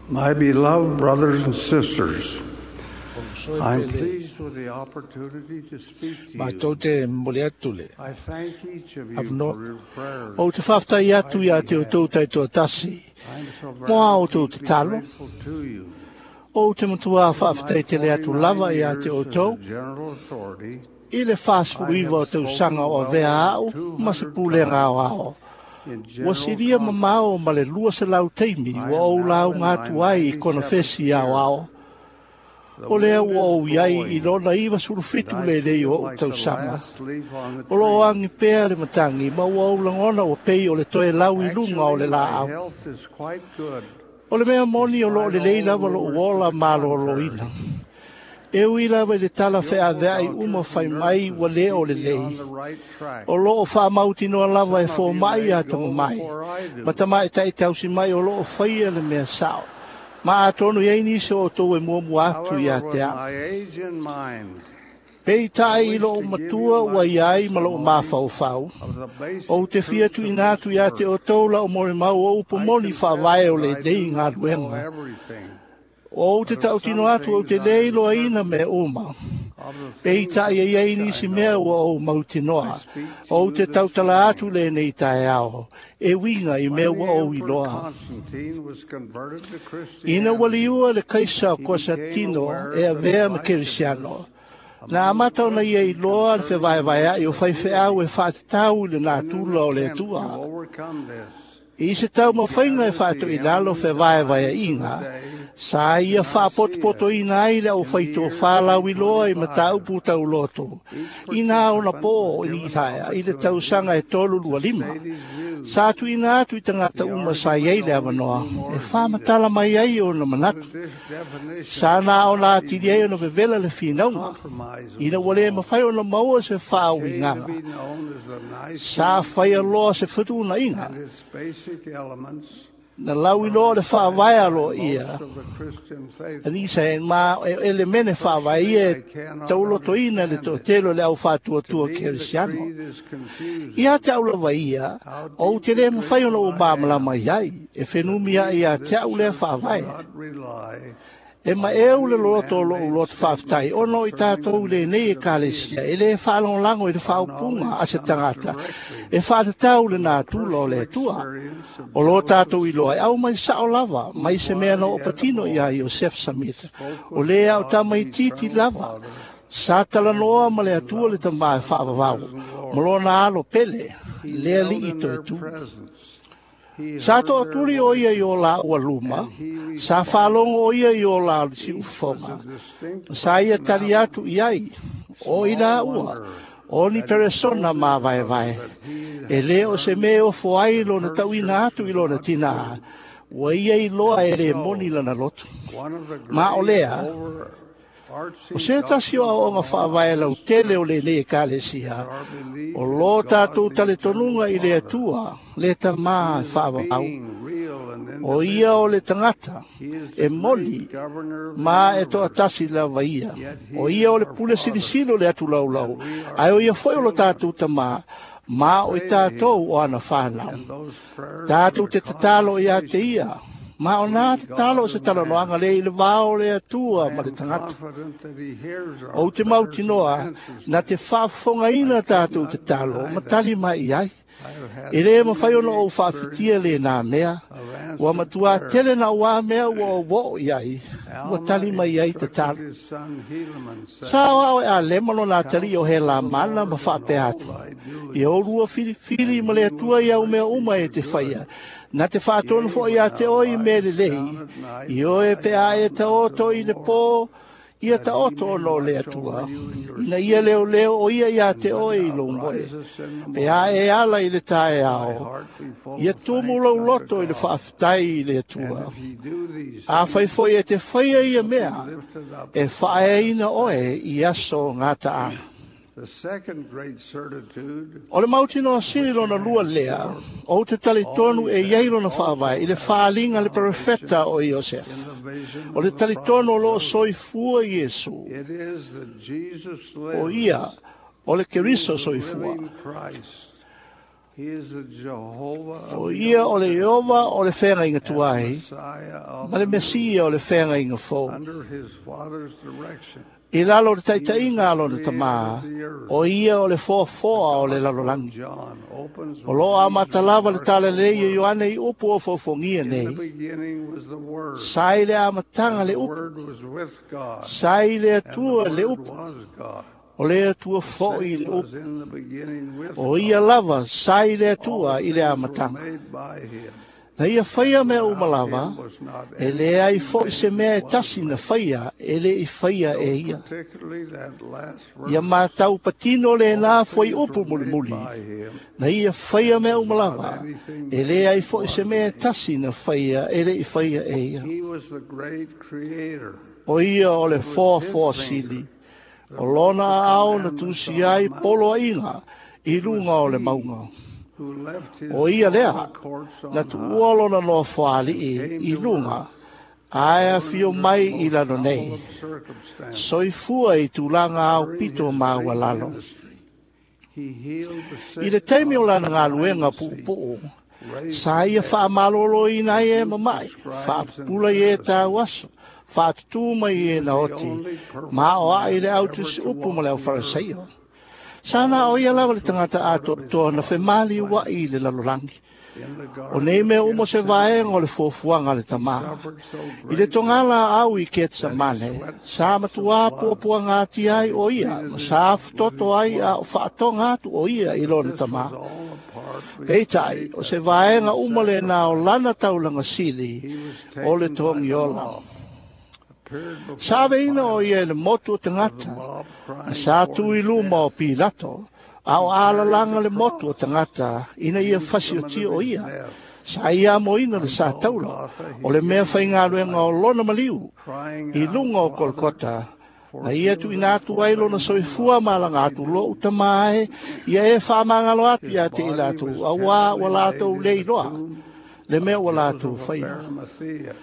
My beloved brothers and sisters, O I'm pele pleased with the opportunity to speak to matou you. te momoli atu le I thank each of you avanoa. for your prayers. Ou te whawhtai atu ia te o tau taitoatasi. I'm so Mo a very o tau deeply tatalo. grateful to you. O te matua In my whawhtai te le atu 49 lava ia te years o as a tau. general authority, I le I 49 have o spoken tausaga o well avea over au ma se 200 pulega times aoao. in Ua general silia mamao conference. ma le 200 taimi I ua am ou now in lauga my atu ai i 97th konofesi year. aoao. The O lea wind ua is ou iai i blowing, lona and 97 I lenei o feel ou like the tausaga. last leaf on the O loo tree. agi pea le matagi ma ua ou lagona ua pei o le toe lau i luga o Actually, le my laau. health is quite good, O le mea moni o loo despite lelei all lava lou rumors to ola the malōlōina. contrary. E ui lava i le tala Skillful feaveai uma doctors fai and mai ua nurses lē o keep me on lelei. the right track. O loo faamautinoa lava e Some of you fōmaʻi may a go tamamai. before I Ma do. tamaʻitaʻi tausi mai o loo faia le mea sao. Ma atonu i ai nisi o outou e muamua atu ia However, te with au. my age in mind, Pei I tai i wish loo to give matua you ua my iai ma loo testimony mafaufau. of the Ou basic te fia truths of tuuina this atu ia te word. o tou la o molimau o upu I moni confess faavae o that le I nei do not know galuega. everything, O ou te but of some tautino atu ou te things I le am iloaina certain. mea uma. Of the Pei things tai of e iai which I nisi mea ua know, ou I mautinoa. speak to Ou you te this tautala atu morning. lenei taeao. E uiga i When mea the ua ou Emperor iloa. Constantine was converted to Ina ua Christianity, liua le kaisa o he became Konstantino aware e of the avea ma divisiveness kerisiano. Na among the amata ona ia clergy iloa le concerning the fevaevaeaʻi nature o of faifeau e deity. faatatau i le In an natura o le attempt to Atua. overcome this, I se he taumafaiga e gathered the faatoilalo eminent divines of the fevaevaeaʻiga, day sa to ia Nicaea faapotopotoina ai le in the year aufaitofā lauiloa i 325. mataupu tauloto. Each Ina ona participant pō was o given Ithaea i le opportunity tausaga e to 325. state his Sa views. tuuina atu i tagata The uma sa iai argument le only avanoa, grew more e heated faamatala mai ai ona when manatu. a definition Sa could na ona not be atili ai ona reached. vevela le A finauga, compromise ina was ua lē sought. mafai ona maua se It came to faauigaga. be known as the Sa Nicene faia Creed, loa se fetuunaiga, and its basic elements na are lauiloa le recited faavae by aloaia. most of the Christian faithful. Anisa e ma e elemene faavae Personally, ia I e cannot taulotoina le understand it. toatele o le To aufaatuatua me, the kerisiano. creed is Ia confusing. te au lava ia, How ou te deeply le mawhai ona grateful o I māmalama am iai, e that whenumi we ai ia of te this au lea church do faavae. not rely E ma on e u le any loto o lou man-made loto statement whawhitai, ono i concerning the tātou le nei e nature of kalesia, deity. e le whaalonglango i le Our whaopunga knowledge a se comes tangata, directly e whaatatau le from the nā tula o personal le atua. experience of O lo Joseph tātou i loa, e Smith, au mai sao lava, who, mai se mea na while o yet a patino i a boy, Iosef Samita. spoke O with lea o God, tamai the titi Eternal lava, Father, sa and talanoa his ma le atua le beloved tamā e Son, the whaavavau, risen ma Lord. lona alo pele, He lea knelt li in i toe their tu. presence. He Sa heard to their turi o ia i o voices, la ua luma, and he sa responded. whaalongo o ia i o la si Each was ufoga. a distinct Sa ia tali atu personality. i ai, o i la Small ua, wonder o ni that he peresona told his mā vae brother vae. that he E had le o se learned mea o foai that lona her tauina church atu i was lona not tina, true. ua ia i loa And e le moni so, lana loto. one of the Ma o great lea, o overarching se tasi o doctrines aoga of our faavae lau Baptist tele o church le nei e is kalesia, our belief o in lo God tātou the tale Eternal tonunga i le Father. atua, le tamā He e is a faavavau. being real and O ia o individual. le tangata, He is e the great moni, governor of the ma e toa universe. tasi lava ia. Yet O he ia is o le our pule Father, silisilo le atu laulau. and we are Ai o ia his foi o lo children. tātou tamā, ma o i Pray to tātou him, o ana whānau. and those prayers Tātou are te tatalo i a te conversation ia. Ma o nā between tatalo God se and talanoaga man. le i le vao le atua I ma le am tangata. confident that he hears our O te prayers and mautinoa, answers na te them. whaafongaina I could tātou not tatalo, deny ma that. tali mai i ai. I have E had le too mawhai many ona o whaafitia le experiences nā mea, of ua answered matua tele prayers. na ua mea ua o wo i ai, ua Alma tali mai ai te instructed talo. his son Helaman, Sa saying, o e a lema lo nā tali o he Counsel la the mana ma Lord in whaapea all atu. thy I o doings, rua whiri and ma le he atua will i au mea direct thee uma e for te whaia. good. Nā te whaatonu Yea, fo i when a te thou oi me le liest lehi. down at night, I o e cry pe a e down ta unto oto the i le Lord, pō, ia that ta he oto may ono le watch over atua. you in your Ina ia sleep, leo leo o ia i a and te when oi i thou lo moe. risest in the Pe a morning, e ala i le tae thy ao. heart be full Ia of tumu thanks lau unto loto i le God. whaaftai i le And atua. if ye do these A whai things, foi e te whaia ye ia shall be mea, lifted up e at the whaeaina last oe day. i aso ngā taanga. The second great certitude, O le mautinoa sili which lona I lua am lea, sure o te tali tonu e always iai had, lona whaavae i also le has its whaalinga le foundation perefeta o Iosef. in the vision O le of the tali prophet tonu o loo Joseph. soifua Iesu. It is that Jesus O ia, lives. o le He is Keriso the soifua. living Christ. He is the Jehovah O of the ia o Old le Testament Ieova o le feagaiga and the tuai, Messiah of ma le the New. Mesia o le feagaiga fou. Under his Father's direction, I lalo o le he is taitaiga the a lona creator tamā, of the earth. o ia o le The foafoa o le Gospel of lalolagi. John opens O with loo these amata lava le tala remarkable lelei o words. Ioane i upu o fofogia In the nei. beginning was the Word, Sa i le amataga and le the upu, Word was with God, sa i le and the Atua le Word upu, was God. o le Atua The fo'i same le was upu. in the beginning with O ia God. lava, sa i le All Atua i le things were amataga. made by him, Na ia whaia and mea uma without lava, him was not e le ai anything fo'i se made mea e that was tasi na made. whaia, e le i whaia e Note ia. particularly that last Ia verse. mātau patino le All nā foi things upu were made mulimuli. by him, Na ia whaia and mea was uma not lava, anything e le made ai that fo'i se was mea e made. tasi na whaia, e le i whaia e ia. He was the great creator. O ia o le It was foa his foa finger sili. that O wrote lona the ao na commandments tusi on the ai mount. polo ainga i It was lunga o le he maunga. who left his O ia royal lea, courts na on tuua high lona noa and whaali came i to lunga, earth, ae a born whio under the mai i most lano humble nei. of circumstances. Soifua i tūlanga au During pito his maua great lalo. ministry, he healed the I le sick taimi o of lana the ngā blind luenga to see, puupuu, raised sa the ia dead, whaamalolo i nai e rebuked the mamai, scribes and whaapupula i e tāu Pharisees. aso, whaatutu mai He e was na the oti, only perfect ma o a i man le au ever tusi to upu ma walk le au the earth. wharaseio. Sana All o ia lava this le was tangata part ato of his toa na Father's whemali wa plan. i le lalolangi. In the O Garden nei of mea uma se vaenga o Gethsemane, le fuafuaga a le he tamā. suffered so I le greatly togala au i that he Ketsemane, sweat sa drops of matuā blood puapuaga ati as ai he o ia, pleaded ma his, sa with futoto his ai a blood. whaatoga atu o ia i But lona this was tamā. all a part of his Peitai, great o se vaenga atoning uma le nā o sacrifice. lana taulaga sili He was o le taken by the togi ola. mob, appeared Sa before veina o Pilate, ia i le motu o with the tagata, mob na crying sa for tu i his luma o death. Pilato, a o He carried alalanga the le motu o cross, tagata, ina the ia fasi o instrument ti of o his ia. death. Sa ia moina le On sa taula, Golgotha, o he le mea gave his whainga luenga o life, lona maliu, crying i out, lunga o Father, Kolkota, na ia forgive tu them, ina atu for ai they lona know soifua not malanga what they atu lo do. utamae, ia e whaamangalo atu His ia te i body lātou, was a wā tenderly wa laid lātou in le the iloa, tomb le mea of ua lātou Joseph of whaia. Arimathea.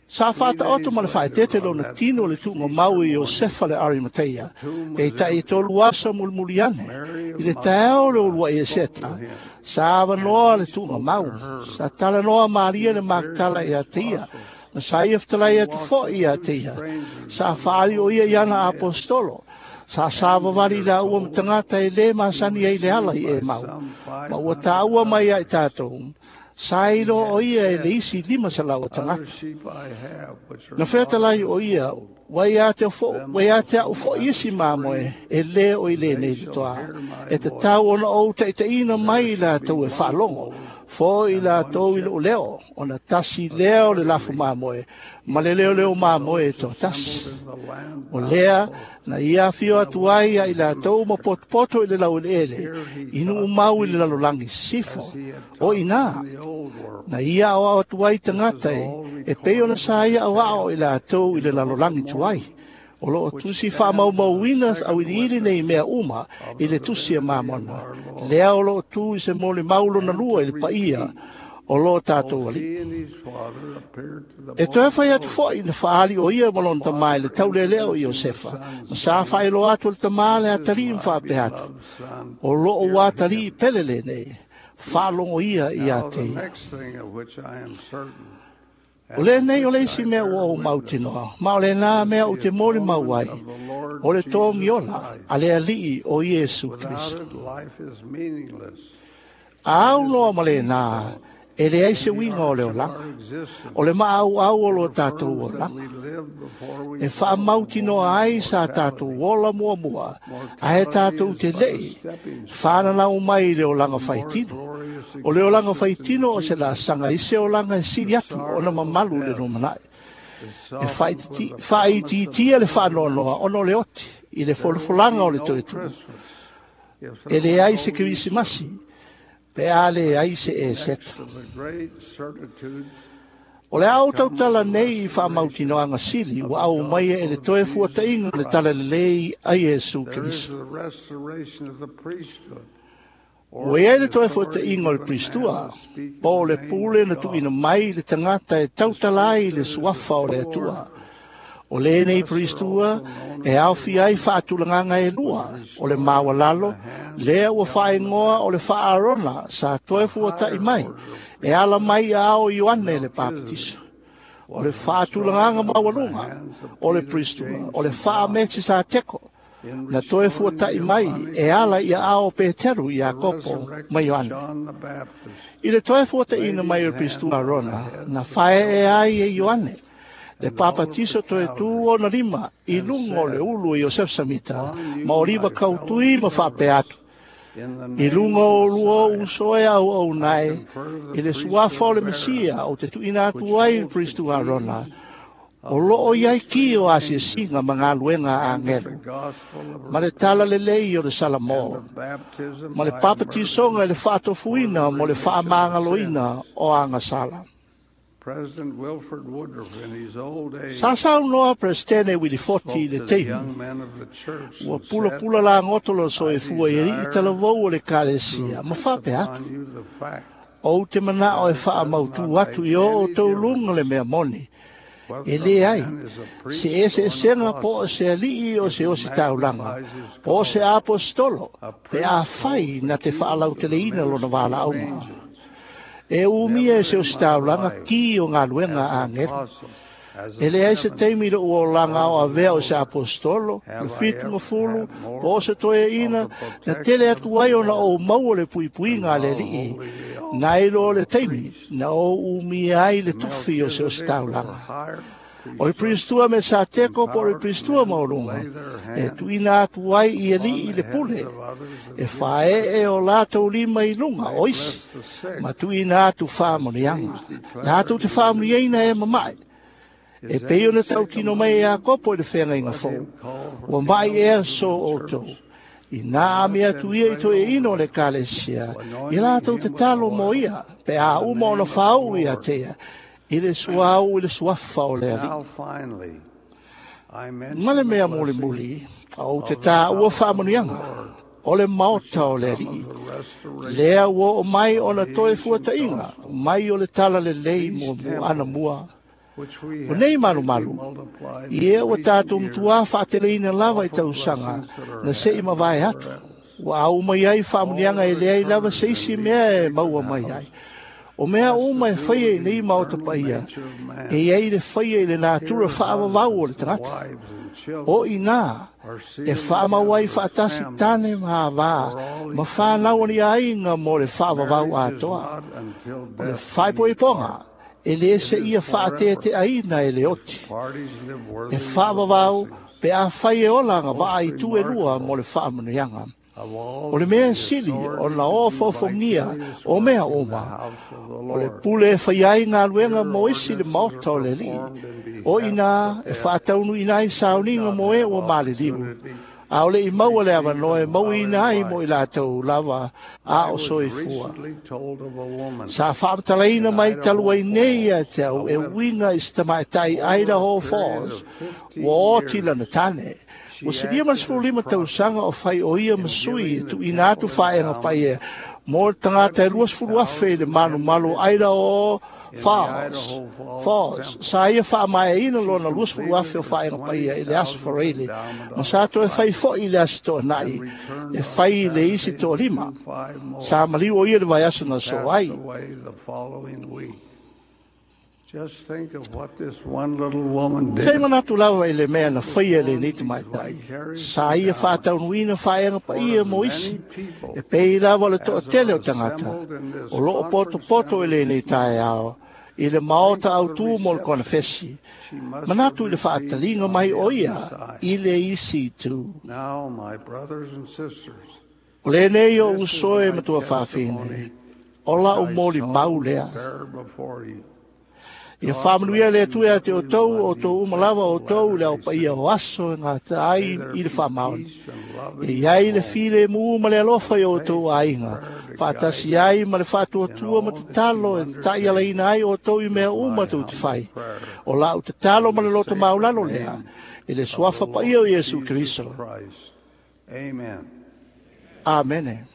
Sa Three whata oto days ma le later, whaetete on lona that tino le first tuunga Easter mau i morning, Iosefa le Arimatea. the tomb Pe was tai empty. tolu asa mulimuliane. Mary I of le taeo le ulua Magdala i spoke to Eseta. him, Sa and avanoa le he tuunga spoke to mau. her. Sa talanoa Maria He le appeared to Magdala i his atia. apostles. Ma sa ia whatalai He atu walked fo with i two atia. strangers Sa on the whaari o road ia to i ana Emmaus. apostolo. Sa And sāwawari we are la ua told matangata e le he masani was ai le ala seen i e by mau. some Ma ua 500 tāua mai ai others. tātou. Sa He ilo o had ia e le said, isi lima sa lau o Other tangata. sheep I have, which are Na not of wheatalai o this ia, fold. wai a te fo, Them wai a te also au fo will I isi mamoe, bring, e le o i and le they nei shall toa. hear my E te voice. tau ona o te te ina And there mai shall la be tau e one whaalongo. fold Fo i and la one tau i lo shepherd. leo, ona tasi leo le lafu Authoritatively, mamoe, he ma le leo leo appeared to mamoe e those tō tasi. assembled in the land O lea, bountiful na ia whio in the atu ai a i western la tau ma hemisphere. potopoto i le lau ele, Here he inu taught the umau i le people lalolangi as sifo. he had O taught them ina, in the old world. na ia au au atu ai This is tangata e, all e pei ona recorded sa in ia au ao i detail la tau i in le the Book of lalolangi tuai. Mormon, O loo which tusi stands as a whaamaumauina au second ili nei witness mea uma of i the le tusi a divinity of mamona. our Lord. Lea o loo tu i se mole maulo na And lua to i le paia repeat, o loo tātou both ali. he and his father appeared to the E toe boy whai atu Joseph, foi na whaali o ia malona the tamai le father taule leo i introducing the Iosefa. son, Ma sa saying, whaelo atu le tamā le This is atali my mwhaape atu. beloved son, O loo hear wātali him. pele le nei. Whaalongo ia i a Now te the ia. next thing of which I am certain, O and le of nei o which le I isi mea bear ua o witness, mautinoa. Ma o le nā is mea o the te mori mau atonement ai. of the Lord O le tōngi Jesus ola, Christ. a le alii o Iesu Without Kristo. it, life is meaningless. A It au is loa the ma le nā, keystone e le ai se in the winga o arch le of olanga. our O existence. le maau au o It lo tātou affirms that olanga. we lived before we E were whaamautinoa born ai sa tātou mortality. ola mua mua. A e Mortality tātou is te but a lei, stepping stone whananau mai i le olanga to more whaitino. glorious O le olanga existence in the whaitino o se la future. sanga i se olanga e siri The atu o na sorrow of mamalu le death no manai. is E softened with the promise of whaititia the le whaanoanoa resurrection. ono le oti i le There would folofolaga be o le no toe tu. Christmas if E there le were ai se no Easter. kirisimasi, pe a le ai se e Next seta. of the great certitudes O le that au come with tautala the nei i restoration whaamautinoanga sili, of ua the au mai e gospel le of toe Jesus fuatainga le tala Christ. lelei a Iesu There is Kristo. the restoration of the priesthood, or Ua iai the le toe authority fuatainga o le given man Pristua, to speak in po o the le name pule of na tuina God. mai le tangata e This tautala ai le priesthood is of suafa o le two Atua. orders. O lenei Pristua e aofia ai faatulagaga e lua, o le maualalo, lea ua faaigoa o le faa-Arona sa toe fuata'i mai, e ala mai i aao o Ioane le Papatiso. O le faatulagaga maualuga o le Pristua, o le faa-Metisateko, na toe fuata'i mai e ala i aao o Peteru, Iakopo ma Ioane. I le toe fuata'iina mai o le Pristua Arona, na fae'e ai e Ioane le papatiso toe tū ona lima i luga o le ulu o Iosefa Samita ma oliva kautui ma faapea atu, I luga o lua uso e auauna e, i le suafa o le Mesia ou te tuuina atu ai i le Pristua Arona, o loo i ai ki o asiasiga ma galuega a agelu, ma le talalelei o le Salamo, ma le papatisoga i le faatofuina mo le faamagaloina o agasala. President Wilford Woodruff, in his old age, Sa saunoa Peresetene Wilifoti i spoke le to the taimi, young men of the church ua and said, pulapula lagoto lona soifua i alii talavou o le to ekalesia, ma impress faapea atu, upon you the fact ou te manao that e it does faamautu not atu make i o any outou luga le difference mea moni. E whether lē a ai, man is a se priest or an eseesega po o apostle se ali'i o if se he osi taulaga, magnifies his po o se calling. apostolo, A pe a priest fai holds the na te keys of the faalauteleina lona ministry of valaauga. angels. E umia e Never se in osi my taulaga life, ki o galuega as a an agelu. apostle, as E a leai se 70, taimi i lo'u olaga or o as an avea o se elder, apostolo, le have I fitu ever gafulu, had po more o se toeaina, of the na tele protection of atu the ai ona Lord ou maua le than puipuiga a le while alii, holding the na i office lo of le a taimi, priest. na ou umia ai le The tofi o se osi Melchizedek or taulaga. higher O le priesthood Pristua me sa teko po o le empowered Pristua men to maualuga, lay their e hands tuuina atu ai i upon alii the le heads pule, of others e and give fae'e o blessings. latou lima i luga They o isi, bless the sick, ma tuuina atu as faamanuiaga. James declared Latou te in the New faamanuiaina e mama'i, Testament. e Is pei any ona sick tautino among mai e you? Iakopo i le feagaiga Let fou. him call for Ua the ma'i ea elders of so the outou. church I and nā let ami them atu ia i pray toeaina o over le them, ekalesia, i anointing latou te him with talo mo oil ia, pe in a the uma ona name of the faauu ia Lord. te ia, i le suauu i le suafa o le alii. Now, finally, I Ma mention le the mea blessing mulimuli, ou te of the tāua house of the faamanuiaga, Lord, o le which maota shall o le come alii. of the restoration Lea ua oo mai of ona the toe ancient fuata'iga, gospel. mai o le talalelei These muamua ana temples, mua. which we O have nei greatly malumalu, multiplied i ea in ua recent tatou years, matuā fa'ateleina lava i offer tausaga, blessings that are na se'i had mavae nowhere atu. else. Ua aumai ai All faamanuiaga e that leai lava occurs se in isi these mea e sacred maua mai ai. houses O mea has to uma e do faia with i the nei maota eternal paia, nature of e man. iai le faia i le natura Here, fa'avavau o le husbands and tagata. wives and O children i nā, are e sealed fa'amau ai together as fa'atasi families tane ma avā, for all ma whānau ani eternity. aiga mo le fa'avavau Marriage is atoa. not until O le death do faepoepoga, you part. e lē It se is ia forever fa'atete'aina e le if oti. the parties live E worthy of the fa'avavau, blessings. pe afai e ola Most gava'a i tu e lua mo remarkable le fa'amanuiaga. of all O le is mea the sili authority ona to o do fofogia vicarious o mea work in the uma. house of the O le Lord. pule e fai ai galuega Here, mo isi le ordinances are maota o le alii. performed in O behalf of inā the e dead fa'ataunu'uina ai who did sauniga not mo e have ua maliliu. opportunity A o le'i to maua le receive avanoa e them while in mauiina ai mo i life. latou lava a I o was soifua. recently told of a woman Sa fa'amatalaina in mai talu Idaho ai nei ia Falls, te a au e widow, uiga i se tamaʻitai over a Idaho period Falls, of 15 ua oti lana years, tane. Ua she silia ma le acted as 15 proxy tausaga o fai o ia in masui e giving the tuuina atu temple fa'aega endowment paia mo le tagata e 20,000 i le 20,000 malumalu o Idaho individuals in the Falls. Idaho Falls Falls. Temple. Sa ia fa'amaeaina She lona 20,000 completed o the fa'aega paia i le aso 20,000th Faraile, endowment ma on sa a toe fai Friday fo'i le aso to'ana'i, and returned e on fai i le isi Saturday to to'alima. do 5 more. Sa maliu o ia le vaiaso She na so passed ai. away the following week. Just think of what this one little woman Sei did. manatu lava i le mea na She faia le performed nei these tamaitai. vicarious Sa ia endowments fa'ataunu'uina fa'aega for paia as mo isi, many e people pei lava o le as to'atele are o tagata. assembled in this O lo'o conference potopoto i center lenei this morning. taeao, i le Think maota of the autū mo le reception konefesi. she must have Manatu i le received fa'ataliga on mai the o other ia side. i le isi itu. Now, my brothers and sisters, O lenei o this is uso e my matua fa'afine, testimony o which la'u I moli mau solemnly lea. bear before you. Ia God fa'amanuia bless le you, Atua ia te outou, every o one outou you uma lava faithful o outou le Latter-day aupaia Saints. o aso e gata May ai there i le be fa'amaoni. peace and love E in iai your le homes file mu ma le alofa i and o outou faith and aiga. prayer to guide Fa'atasi you ai ma le in fa'atuatua ma all that you tatalo e ta'ialaina undertake ai outou i mea is uma my tou te humble fai. prayer. O la'u tatalo In ma le the loto sacred maulalo lea, name i le of the suafa paia o Lord Iesu Jesus Keriso. Christ. Amen. Amene.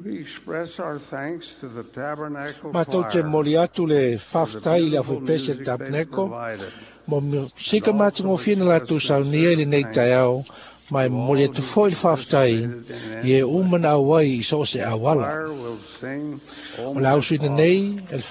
We express our thanks to the Tabernacle Matou te Choir momoli atu le for the faafetai i le beautiful aufaipese music they tapeneko provided, mo and sika also matagofie na express latou saunia i sincere lenei thanks taeao ma e to momoli all atu who foi le faafetai participated in i e any way. uma na auai i so o se The auala. choir will sing, O O le My ausuina Father. nei e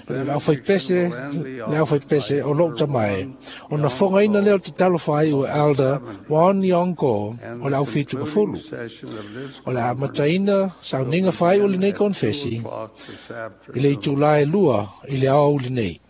The le benediction aufaipese will end the le office by aufaipese o lou Elder tamae Juan ona fogaina lea o Yonko te talofa ai ua of the Elder 70, Juan Yonko and o le the aufitu concluding mafulu. session of this O le conference amataina will sauniga faai'u begin lenei at 2 konefesi o'clock this i le afternoon. itulā e 2 i le aoauli nei.